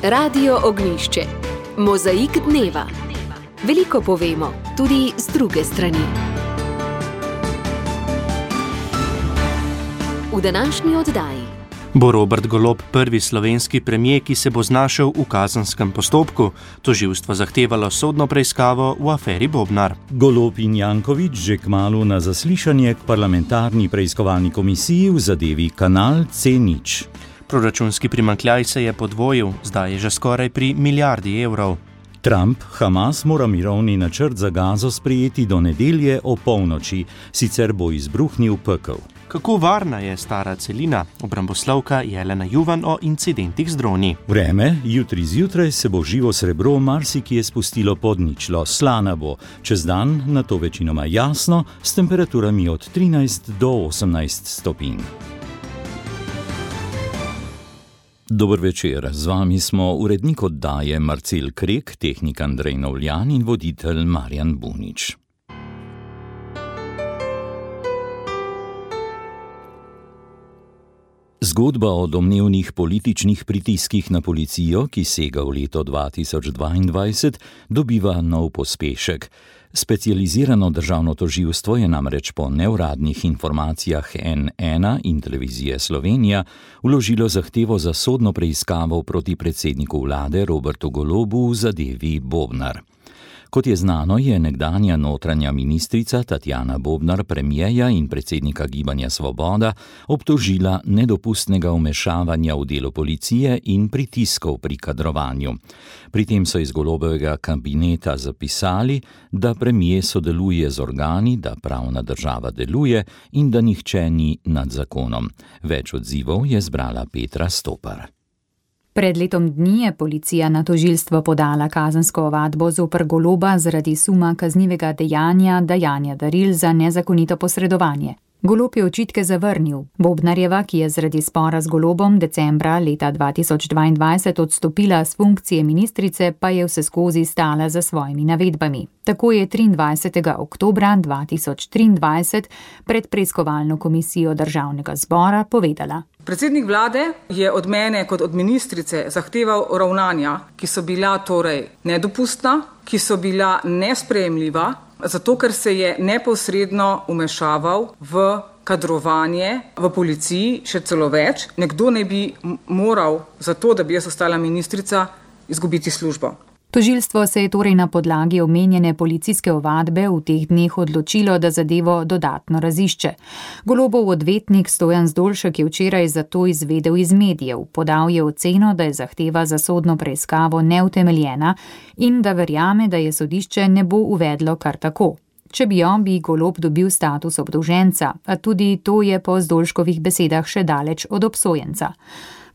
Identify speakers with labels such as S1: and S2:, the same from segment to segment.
S1: Radio Ognjišče. Mozaik dneva. Veliko povemo, tudi z druge strani. V današnji oddaji
S2: bo Robert Golob prvi slovenski premier, ki se bo znašel v kazenskem postopku. Tožilstvo zahtevalo sodno preiskavo v aferi Bobnar.
S3: Golob in Janković že kmalu na zaslišanje k parlamentarni preiskovalni komisiji v zadevi Kanal C0.
S2: Proračunski primanjkljaj se je podvojil, zdaj je že skoraj pri milijardi evrov.
S3: Trump, Hamas mora mirovni načrt za Gazo sprejeti do nedelje o polnoči, sicer bo izbruhnil pekel.
S2: Kako varna je stara celina? Obramboslovka Jelena Juvan o incidentih z droni.
S3: Vreme, jutri zjutraj se bo živo srebro marsikje spustilo pod ničlo, slana bo. Čez dan na to večinoma jasno, s temperaturami od 13 do 18 stopinj. Dober večer, z vami smo urednik oddaje Marcel Krek, tehnik Andrej Novljan in voditelj Marjan Bunič. Zgodba o domnevnih političnih pritiskih na policijo, ki sega v leto 2022, dobiva nov pospešek. Specializirano državno tožilstvo je namreč po neuradnih informacijah N1 in Televizije Slovenija vložilo zahtevo za sodno preiskavo proti predsedniku vlade Robertu Golobu v zadevi Bobnar. Kot je znano, je nekdanja notranja ministrica Tatjana Bobnar premierja in predsednika Gibanja Svoboda obtožila nedopustnega vmešavanja v delo policije in pritiskov pri kadrovanju. Pri tem so iz Golobovega kabineta zapisali, da premier sodeluje z organi, da pravna država deluje in da nihče ni nad zakonom. Več odzivov je zbrala Petra Stopar.
S4: Pred letom dni je policija na tožilstvo podala kazensko ovadbo zoper Goloba zaradi suma kaznivega dejanja daril za nezakonito posredovanje. Golob je očitke zavrnil. Bobnarjeva, ki je zaradi spora z Golobom decembra leta 2022 odstopila s funkcije ministrice, pa je vseskozi stala za svojimi navedbami. Tako je 23. oktobra 2023 pred preiskovalno komisijo Državnega zbora povedala.
S5: Predsednik vlade je od mene kot od ministrice zahteval ravnanja, ki so bila torej nedopustna, ki so bila nesprejemljiva, zato ker se je neposredno vmešaval v kadrovanje v policiji, še celo več. Nekdo ne bi moral za to, da bi jaz ostala ministrica, izgubiti službo.
S4: Tožilstvo se je torej na podlagi omenjene policijske ovadbe v teh dneh odločilo, da zadevo dodatno razišče. Golobov odvetnik Stojan Zdolšek je včeraj zato izvedel iz medijev. Podal je oceno, da je zahteva za sodno preiskavo neutemeljena in da verjame, da je sodišče ne bo uvedlo kar tako. Če bi bi Golob dobil status obdolženca, a tudi to je po Zdolškovih besedah še daleč od obsojenca.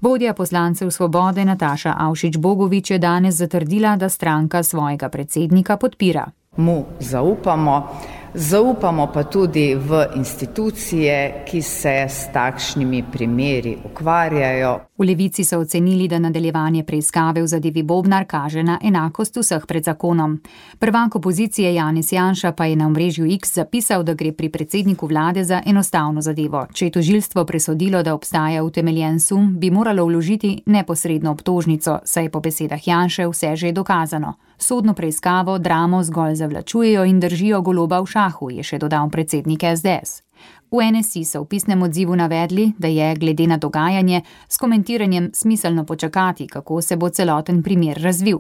S4: Vodja poslancev Svobode Nataša Avšič Bogovič je danes zatrdila, da stranka svojega predsednika podpira.
S6: Mu zaupamo pa tudi v institucije, ki se s takšnimi primeri ukvarjajo.
S4: V Levici so ocenili, da nadaljevanje preiskave v zadevi Bobnar kaže na enakost vseh pred zakonom. Prvak opozicije Janez Janša pa je na omrežju X zapisal, da gre pri predsedniku vlade za enostavno zadevo. Če je tožilstvo presodilo, da obstaja utemeljen sum, bi moralo vložiti neposredno obtožnico, saj je po besedah Janše vse že dokazano. Sodno preiskavo dramo zgolj zavlačujejo in držijo Goloba v šahu, je še dodal predsednik SDS. V NSI so v pisnem odzivu navedli, da je glede na dogajanje s komentiranjem smiselno počakati, kako se bo celoten primer razvil.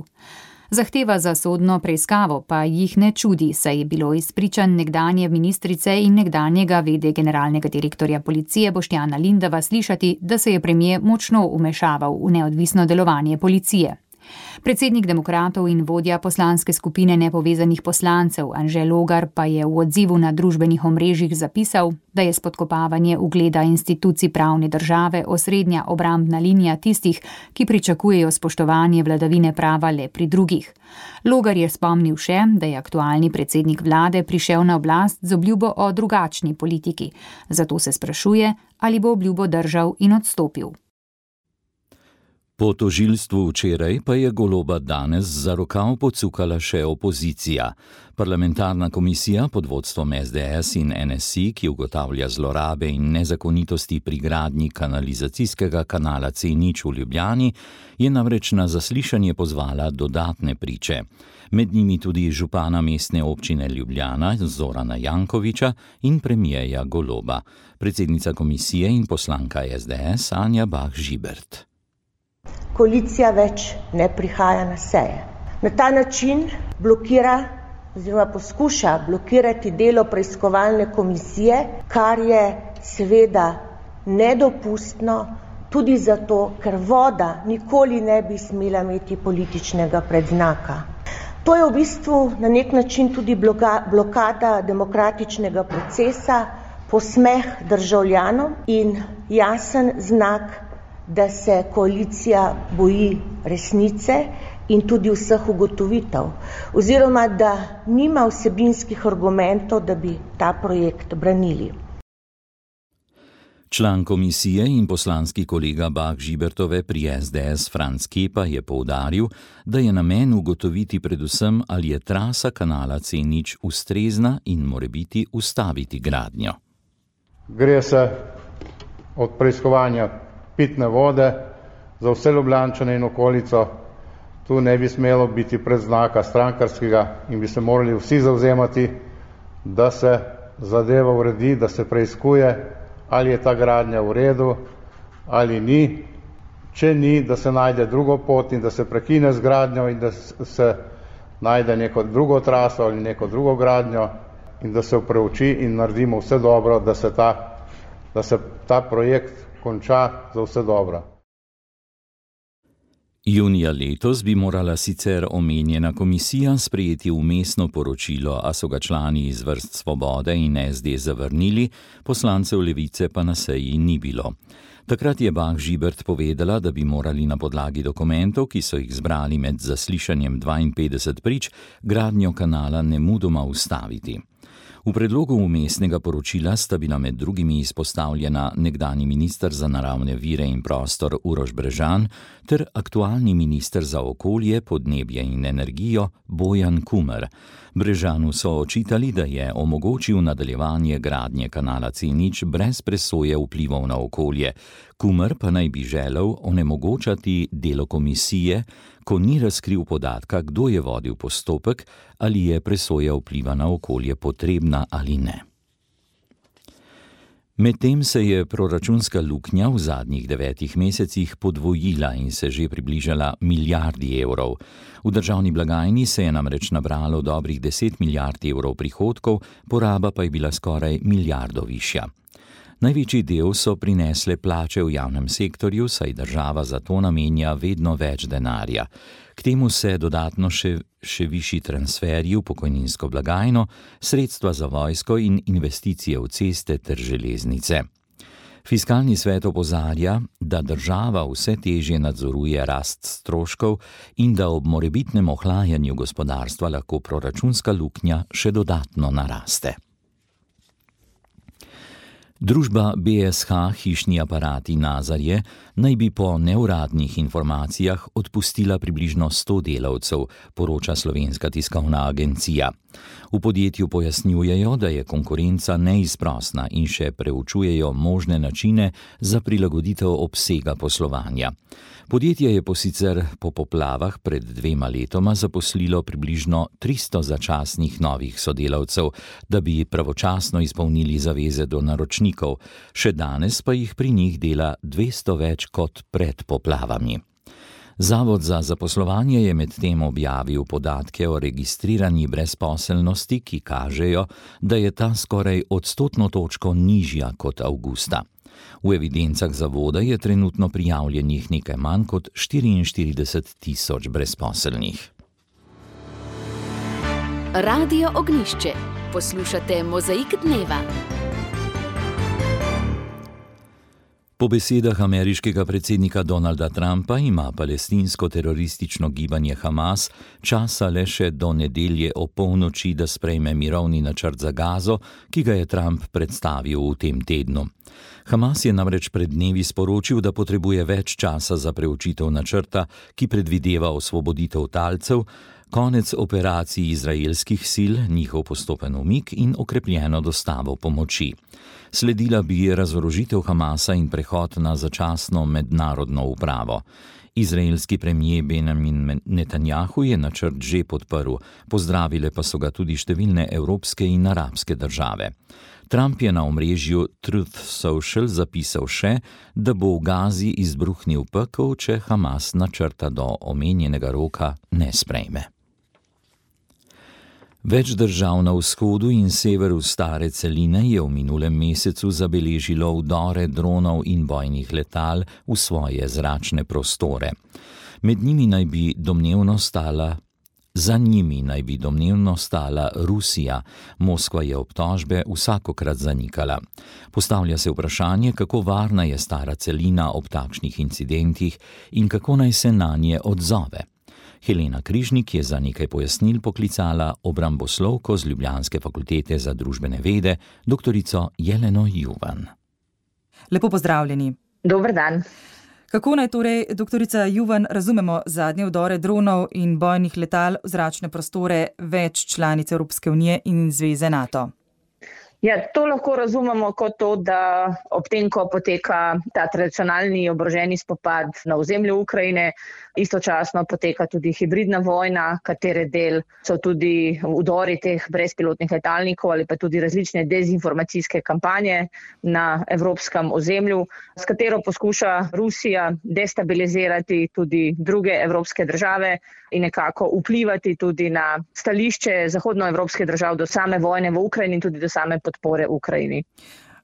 S4: Zahteva za sodno preiskavo pa jih ne čudi, saj je bilo iz pričanj nekdanje ministrice in nekdanjega vede generalnega direktorja policije Boštjana Lindava slišati, da se je premier močno vmešaval v neodvisno delovanje policije. Predsednik demokratov in vodja poslanske skupine nepovezanih poslancev Anže Logar pa je v odzivu na družbenih omrežjih zapisal, da je spodkopavanje ugleda institucij pravne države osrednja obrambna linija tistih, ki pričakujejo spoštovanje vladavine prava le pri drugih. Logar je spomnil še, da je aktualni predsednik vlade prišel na oblast z obljubo o drugačni politiki. Zato se sprašuje, ali bo obljubo držal in odstopil.
S3: Po tožilstvu včeraj pa je Goloba danes za rokav pocukala še opozicija. Parlamentarna komisija pod vodstvom SDS in NSI, ki ugotavlja zlorabe in nezakonitosti pri gradnji kanalizacijskega kanala C0 v Ljubljani, je namreč na zaslišanje pozvala dodatne priče. Med njimi tudi župana mestne občine Ljubljana Zorana Jankovića in premierja Goloba, predsednica komisije in poslanka SDS Anja Bah Žibert.
S7: Koalicija več ne prihaja na seje. Na ta način blokira oziroma poskuša blokirati delo preiskovalne komisije, kar je seveda nedopustno tudi zato, ker voda nikoli ne bi smela imeti političnega predznaka. To je v bistvu na nek način tudi blokada demokratičnega procesa, posmeh državljanom in jasen znak, da se koalicija boji resnice in tudi vseh ugotovitev, oziroma da nima vsebinskih argumentov, da bi ta projekt branili.
S3: Član komisije in poslanski kolega Bah Žibertove pri SDS Franc Kepa je poudaril, da je namen ugotoviti predvsem, ali je trasa kanala C0 ustrezna in morebiti ustaviti gradnjo.
S8: Gre se od preiskovanja pitne vode za vse Ljubljančane in okolico. Tu ne bi smelo biti predznaka strankarskega in bi se morali vsi zavzemati, da se zadeva uredi, da se preiskuje, ali je ta gradnja v redu ali ni. Če ni, da se najde drugo pot in da se prekine z gradnjo in da se najde neko drugo traso ali neko drugo gradnjo in da se preuči in naredimo vse dobro, da se ta projekt konča za vse dobro.
S3: Junija letos bi morala sicer omenjena komisija sprejeti vmesno poročilo, a so ga člani iz vrst Svobode in SD zavrnili, poslancev Levice pa na seji ni bilo. Takrat je Bah Žibert povedala, da bi morali na podlagi dokumentov, ki so jih zbrali med zaslišanjem 52 prič, gradnjo kanala nemudoma ustaviti. V predlogu vmesnega poročila sta bila med drugimi izpostavljena nekdanji minister za naravne vire in prostor Uroš Brežan ter aktualni minister za okolje, podnebje in energijo Bojan Kumer. Brežanu so očitali, da je omogočil nadaljevanje gradnje kanala C0 brez presoje vplivov na okolje. Kumer pa naj bi želel onemogočati delo komisije, ko ni razkril podatka, kdo je vodil postopek, ali je presoja vpliva na okolje potrebna ali ne. Medtem se je proračunska luknja v zadnjih 9 mesecih podvojila in se že približala milijardi evrov. V državni blagajni se je namreč nabralo dobrih 10 milijard evrov prihodkov, poraba pa je bila skoraj milijardo višja. Največji del so prinesle plače v javnem sektorju, saj država za to namenja vedno več denarja. K temu se dodatno še višji transferji v pokojninsko blagajno, sredstva za vojsko in investicije v ceste ter železnice. Fiskalni svet opozarja, da država vse težje nadzoruje rast stroškov in da ob morebitnem ohlajanju gospodarstva lahko proračunska luknja še dodatno naraste. Družba BSH Hišni aparati Nazarje naj bi po neuradnih informacijah odpustila približno 100 delavcev, poroča Slovenska tiskovna agencija. V podjetju pojasnjujejo, da je konkurenca neizprosna in še preučujejo možne načine za prilagoditev obsega poslovanja. Podjetje je sicer po poplavah pred 2 letoma zaposlilo približno 300 začasnih novih sodelavcev, da bi pravočasno izpolnili zaveze do naročnikov, še danes pa jih pri njih dela 200 več kot pred poplavami. Zavod za zaposlovanje je medtem objavil podatke o registrirani brezposelnosti, ki kažejo, da je ta skoraj 100 točko nižja kot avgusta. V evidencah zavoda je trenutno prijavljenih nekaj manj kot 44 tisoč brezposelnih.
S1: Radio Ognjišče. Poslušate Mozaik dneva.
S3: Po besedah ameriškega predsednika Donalda Trumpa ima palestinsko teroristično gibanje Hamas časa le še do nedelje opolnoči, da sprejme mirovni načrt za Gazo, ki ga je Trump predstavil v tem tednu. Hamas je namreč pred dnevi sporočil, da potrebuje več časa za preučitev načrta, ki predvideva osvoboditev talcev, konec operacij izraelskih sil, njihov postopen umik in okrepljeno dostavo pomoči. Sledila bi razorožitev Hamasa in prehod na začasno mednarodno upravo. Izraelski premijer Benjamin Netanjahu je načrt že podprl, pozdravile pa so ga tudi številne evropske in arabske države. Trump je na omrežju Truth Social zapisal še, da bo v Gazi izbruhnil pekel, če Hamas načrta do omenjenega roka ne sprejme. Več držav na vzhodu in severu stare celine je v minulem mesecu zabeležilo vdore dronov in bojnih letal v svoje zračne prostore. Za njimi naj bi domnevno stala Rusija. Moskva je obtožbe vsakokrat zanikala. Postavlja se vprašanje, kako varna je stara celina ob takšnih incidentih in kako naj se nanje odzove. Helena Križnik je za nekaj pojasnil poklicala obramboslovko z Ljubljanske fakultete za družbene vede, doktorico Jeleno Juvan.
S9: Lepo pozdravljeni.
S10: Dober dan.
S9: Kako naj torej, doktorica Juvan, razumemo zadnje vdore dronov in bojnih letal v zračne prostore več članic Evropske unije in Zveze NATO?
S10: Ja, to lahko razumemo kot to, da ob tem, ko poteka ta tradicionalni oboroženi spopad na ozemlju Ukrajine, istočasno poteka tudi hibridna vojna, katere del so tudi vdori teh brezpilotnih letalnikov ali pa tudi različne dezinformacijske kampanje na evropskem ozemlju, s katero poskuša Rusija destabilizirati tudi druge evropske države in nekako vplivati tudi na stališče zahodnoevropskih držav do same vojne v Ukrajini in tudi do same podpore Ukrajini.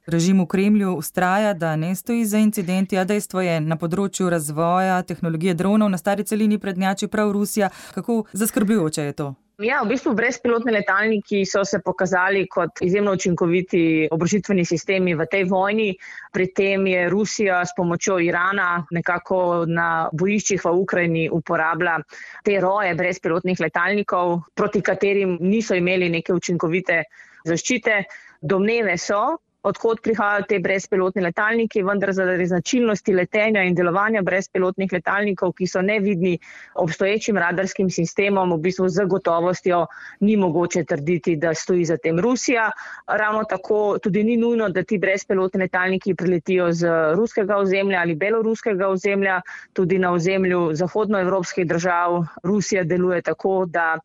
S9: Režim v Kremlju vztraja, da ne stoji za incidenti, a dejstvo je, na področju razvoja tehnologije dronov na stari celini prednjači prav Rusija. Kako zaskrbljujoče je to?
S10: Ja, v bistvu brezpilotni letalniki so se pokazali kot izjemno učinkoviti oborožitveni sistemi v tej vojni. Pri tem je Rusija s pomočjo Irana nekako na bojiščih v Ukrajini uporablja te roje brezpilotnih letalnikov, proti katerim niso imeli neke učinkovite zaščite. Domneve so, odkot prihajajo te brezpilotni letalniki, vendar zaradi značilnosti letenja in delovanja brezpilotnih letalnikov, ki so nevidni obstoječim radarskim sistemom, v bistvu z gotovostjo ni mogoče trditi, da stoji za tem Rusija. Ravno tako tudi ni nujno, da ti brezpilotni letalniki priletijo z ruskega ozemlja ali beloruskega ozemlja. Tudi na ozemlju zahodnoevropskih držav Rusija deluje tako, da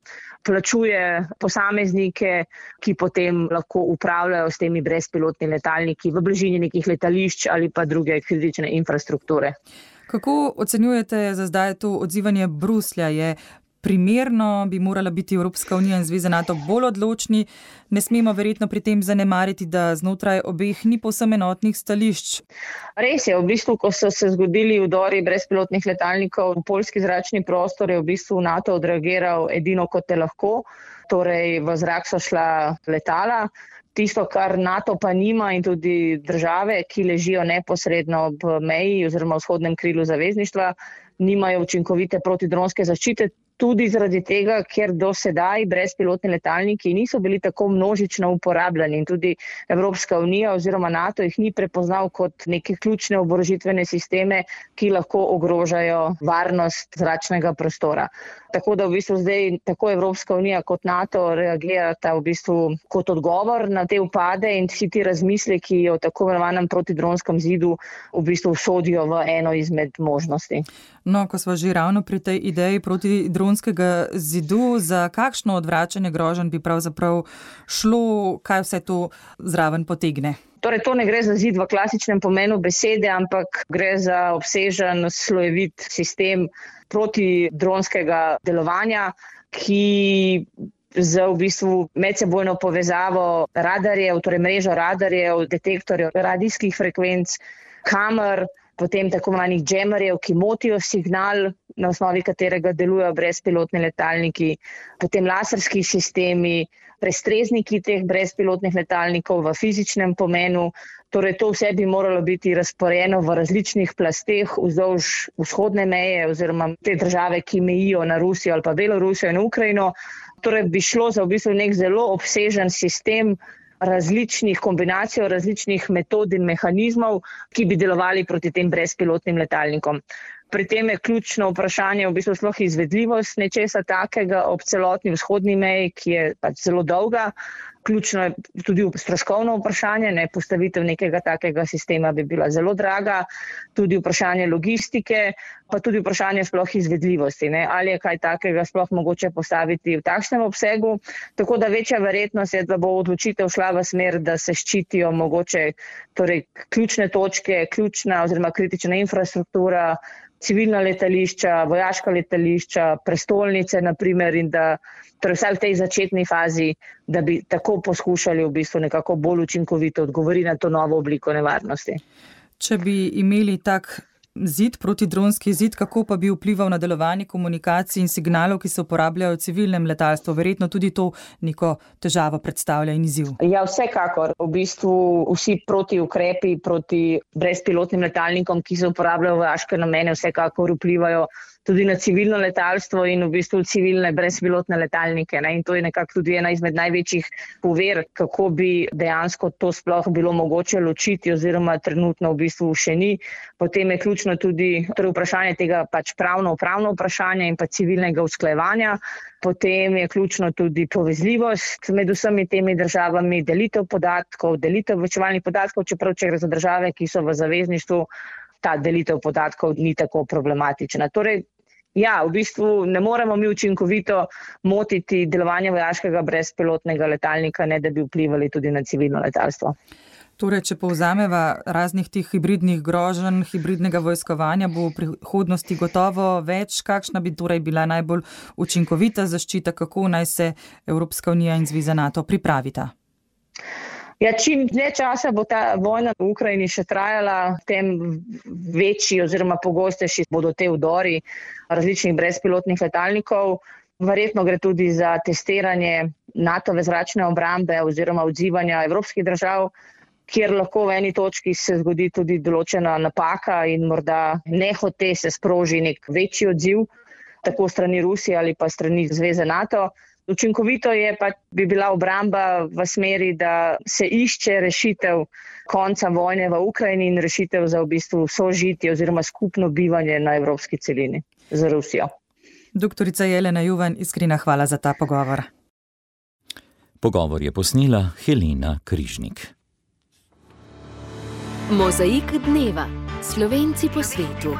S10: plačuje posameznike, ki potem lahko upravljajo s temi brezpilotnimi letalniki v bližini nekih letališč ali pa druge kritične infrastrukture.
S9: Kako ocenjujete za zdaj to odzivanje Bruslja? Je primerno, bi morala biti Evropska unija in Zveza NATO bolj odločni? Ne smemo verjetno pri tem zanemariti, da znotraj obeh ni povsem enotnih stališč.
S10: Res je, v bistvu, ko so se zgodili vdori brezpilotnih letalnikov v poljski zračni prostor, je v bistvu NATO odreagiral edino kot je lahko, torej v zrak so šla letala. Tisto, kar NATO pa nima in tudi države, ki ležijo neposredno ob meji oziroma vzhodnem krilu zavezništva, nimajo učinkovite protidronske zaščite, tudi zaradi tega, ker do sedaj brezpilotni letalniki niso bili tako množično uporabljeni in tudi Evropska unija oziroma NATO jih ni prepoznal kot neke ključne oborožitvene sisteme, ki lahko ogrožajo varnost zračnega prostora. Tako da v bistvu zdaj tako Evropska unija kot NATO reagirata v bistvu kot odgovor na te upade in vsi ti razmisleki o tako imenovanem protidronskem zidu v bistvu sodijo v eno izmed možnosti.
S9: No, ko smo že ravno pri tej ideji protidronskega zidu, za kakšno odvračanje groženj bi pravzaprav šlo, kaj vse to zraven potegne?
S10: Torej, to ne gre za zid v klasičnem pomenu besede, ampak gre za obsežen, slojevit sistem protidronskega delovanja, ki z v bistvu medsebojno povezavo radarjev, torej mrežo radarjev, detektorjev radijskih frekvenc, kamer, potem tako imenovanih džemerjev, ki motijo signal na osnovi katerega delujejo brezpilotni letalniki, potem laserski sistemi, prestrezniki teh brezpilotnih letalnikov v fizičnem pomenu. Torej to vse bi moralo biti razporejeno v različnih plasteh vzdolž vzhodne meje oziroma te države, ki mejijo na Rusijo ali pa Belorusijo in Ukrajino. Torej bi šlo za v bistvu nek zelo obsežen sistem različnih kombinacij, različnih metod in mehanizmov, ki bi delovali proti tem brezpilotnim letalnikom. Pri tem je ključno vprašanje v bistvu sploh izvedljivost nečesa takega ob celotni vzhodni meji, ki je pač zelo dolga. Ključno je tudi stroškovno vprašanje, postavitev nekega takega sistema bi bila zelo draga, tudi vprašanje logistike, pa tudi vprašanje sploh izvedljivosti, ali je kaj takega sploh mogoče postaviti v takšnem obsegu. Tako da večja verjetnost je, da bo odločitev šla v smer, da se ščitijo mogoče torej ključne točke, ključna oziroma kritična infrastruktura, civilna letališča, vojaška letališča, prestolnice naprimer in da torej vsaj v tej začetni fazi, da bi tako poskušali v bistvu nekako bolj učinkovito odgovoriti na to novo obliko nevarnosti.
S9: Če bi imeli tak zid, protidronski zid, kako pa bi vplival na delovanje komunikacij in signalov, ki se uporabljajo v civilnem letalstvu? Verjetno tudi to neko težavo predstavlja in izziv.
S10: Ja, vsekakor. V bistvu vsi protiukrepi proti brezpilotnim letalnikom, ki se uporabljajo v vojaške namene, vsekakor vplivajo tudi na civilno letalstvo in v bistvu civilne brezpilotne letalnike. In to je nekako tudi ena izmed največjih pover, kako bi dejansko to sploh bilo mogoče ločiti oziroma trenutno v bistvu še ni. Potem je ključno tudi vprašanje tega pač pravno vprašanje in pa civilnega usklajevanja. Potem je ključno tudi povezljivost med vsemi temi državami, delitev podatkov, delitev obveščevalnih podatkov, čeprav če gre za države, ki so v zavezništvu, ta delitev podatkov ni tako problematična. Torej, ja, v bistvu ne moremo mi učinkovito motiti delovanja vojaškega brezpilotnega letalnika, ne da bi vplivali tudi na civilno letalstvo.
S9: Torej, če povzameva raznih tih hibridnih groženj, hibridnega vojskovanja bo v prihodnosti gotovo več. Kakšna bi torej bila najbolj učinkovita zaščita, kako naj se Evropska unija in Zveza NATO pripravita?
S10: Ja, čim dlje časa bo ta vojna v Ukrajini še trajala, tem večji oziroma pogostejši bodo te vdori različnih brezpilotnih letalnikov. Verjetno gre tudi za testiranje NATO-ve zračne obrambe oziroma odzivanja evropskih držav, kjer lahko v eni točki se zgodi tudi določena napaka in morda nehote se sproži nek večji odziv, tako strani Rusije ali pa strani Zveze NATO. Učinkovito bi bila obramba v smeri, da se išče rešitev konca vojne v Ukrajini in rešitev za v bistvu sožitje oziroma skupno bivanje na evropski celini z Rusijo.
S9: Doktorica Jelena Juvan, iskrena hvala za ta pogovor.
S3: Pogovor je posnela Helena Križnik.
S1: Mozaik dneva. Slovenci po svetu.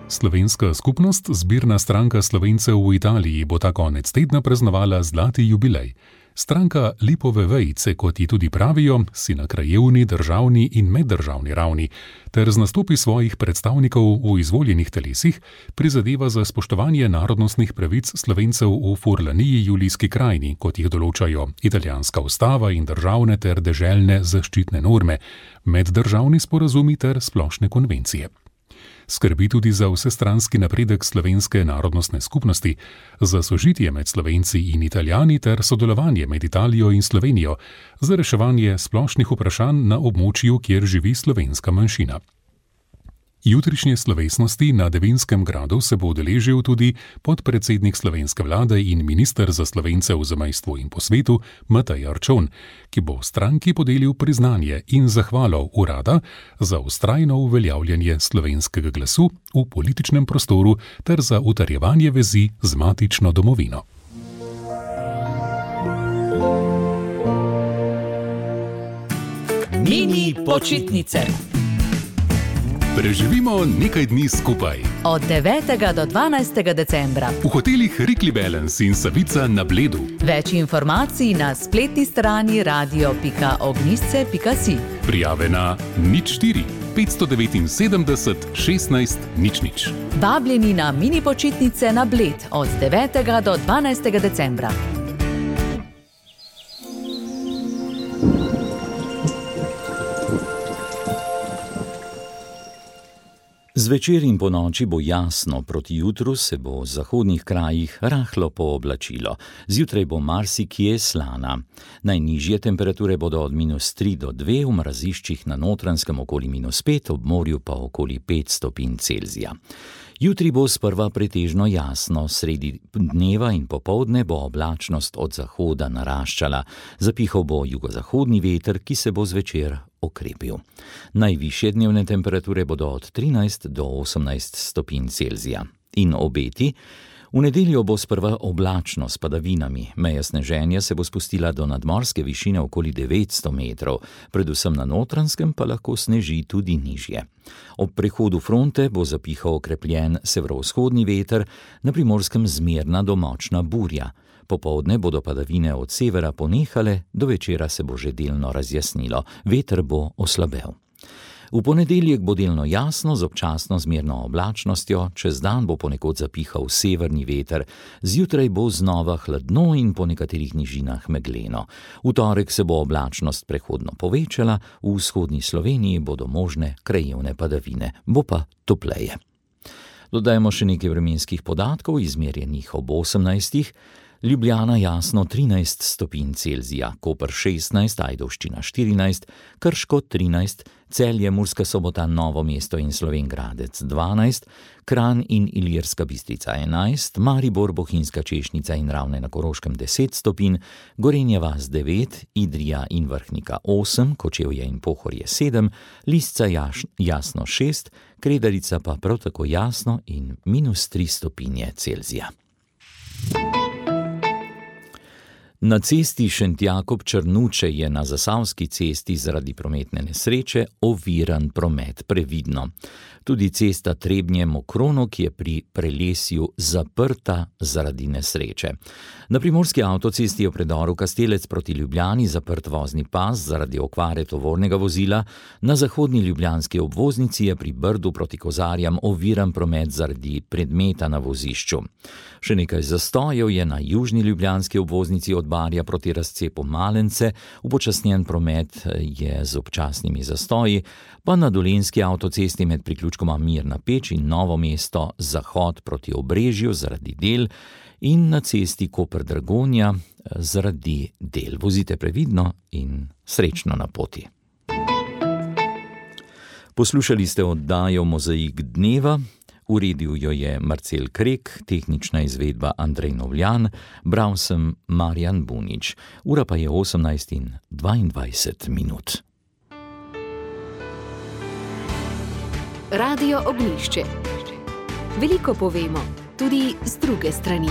S11: Slovenska skupnost, zbirna stranka Slovencev v Italiji, bo ta konec tedna praznovala zlati jubilej. Stranka Lipove vejice, kot ji tudi pravijo, si na krajevni, državni in meddržavni ravni ter z nastopi svojih predstavnikov v izvoljenih telesih prizadeva za spoštovanje narodnostnih pravic Slovencev v Furlaniji, Julijski krajini, kot jih določajo italijanska ustava in državne ter deželne zaščitne norme, meddržavni sporazumi ter splošne konvencije. Skrbi tudi za vsestranski napredek slovenske narodnostne skupnosti, za sožitje med Slovenci in Italijani ter sodelovanje med Italijo in Slovenijo, za reševanje splošnih vprašanj na območju, kjer živi slovenska manjšina. Jutrišnje slovesnosti na Devinskem gradu se bo udeležil tudi podpredsednik slovenske vlade in minister za Slovence v zamejstvu in po svetu Matej Arčon, ki bo stranki podelil priznanje in zahvalo urada za vztrajno uveljavljanje slovenskega glasu v političnem prostoru ter za utrjevanje vezi z matično domovino.
S12: Mini počitnice.
S11: Preživimo nekaj dni skupaj.
S12: Od 9. do 12. decembra.
S11: V hotelih Rikli Balance in Savica na Bledu.
S12: Več informacij na spletni strani radio.ognisce.si.
S11: Prijave na 04 579 16 00.
S12: Vabljeni na mini počitnice na Bled od 9. do 12. decembra.
S3: Zvečer in po noči bo jasno, proti jutru se bo v zahodnih krajih rahlo pooblačilo. Zjutraj bo marsikje slana. Najnižje temperature bodo od -3 do 2, v mraziščih na Notranjskem okoli -5, ob morju pa okoli 5 stopinj Celzija. Jutri bo sprva pretežno jasno, sredi dneva in popoldne bo oblačnost od zahoda naraščala. Zapihal bo jugozahodni veter, ki se bo zvečer okrepil. Najvišje dnevne temperature bodo od 13 do 18 stopinj Celzija. In obeti? V nedeljo bo sprva oblačno s padavinami. Meja sneženja se bo spustila do nadmorske višine okoli 900 metrov, predvsem na Notranjskem pa lahko sneži tudi nižje. Ob prehodu fronte bo zapihal okrepljen severovzhodni veter, na Primorskem zmerna do močna burja. Popoldne bodo padavine od severa ponehale, do večera se bo že delno razjasnilo, veter bo oslabel. V ponedeljek bo delno jasno z občasno zmerno oblačnostjo, čez dan bo ponekod zapihal severni veter, zjutraj bo znova hladno in po nekaterih nižinah megleno. V torek se bo oblačnost prehodno povečala, v vzhodni Sloveniji bodo možne krajevne padavine, bo pa topleje. Dodajmo še nekaj vremenskih podatkov, izmerjenih ob 18. Ljubljana jasno 13 stopinj Celzija, Koper 16, Ajdovščina 14, Krško 13, Celje, Murska Sobota, Novo mesto in Slovenj Gradec 12, Kranj in Ilirska Bistrica 11, Maribor, Bohinjska Češnica in Ravne na Koroškem 10 stopinj, Gorenja vas 9, Idrija in Vrhnika 8, Kočevje in Pohorje 7, Lisca jasno 6, Kredarica pa prav tako jasno in -3 stopinje Celzija. Na cesti Šentjakob-Črnuče je na Zasavski cesti zaradi prometne nesreče oviran promet, previdno. Tudi cesta Trebnje-Mokronog je pri Prelesju zaprta zaradi nesreče. Na primorski avtocesti je v predoru Kastelec proti Ljubljani zaprt vozni pas zaradi okvare tovornega vozila, na zahodni ljubljanski obvoznici je pri Brdu proti Kozarjam oviran promet zaradi predmeta na vozišču. Še nekaj zastojev je na južni ljubljanski obvoznici od Barja proti razcepu Malence, upočasnjen promet je z občasnimi zastoji, pa na dolenjski avtocesti med priključkoma Mirna Peč in Novo mesto zahod proti Obrežju zaradi del in na cesti Koper-Dragonja zaradi del. Vozite previdno in srečno na poti. Poslušali ste oddajo Mozaik dneva. Uredil jo je Marcel Krek, tehnična izvedba Andrej Novljan, bral sem Marjan Bunič. Ura pa je 18:22.
S1: Radio Ognjišče. Veliko povemo, tudi z druge strani.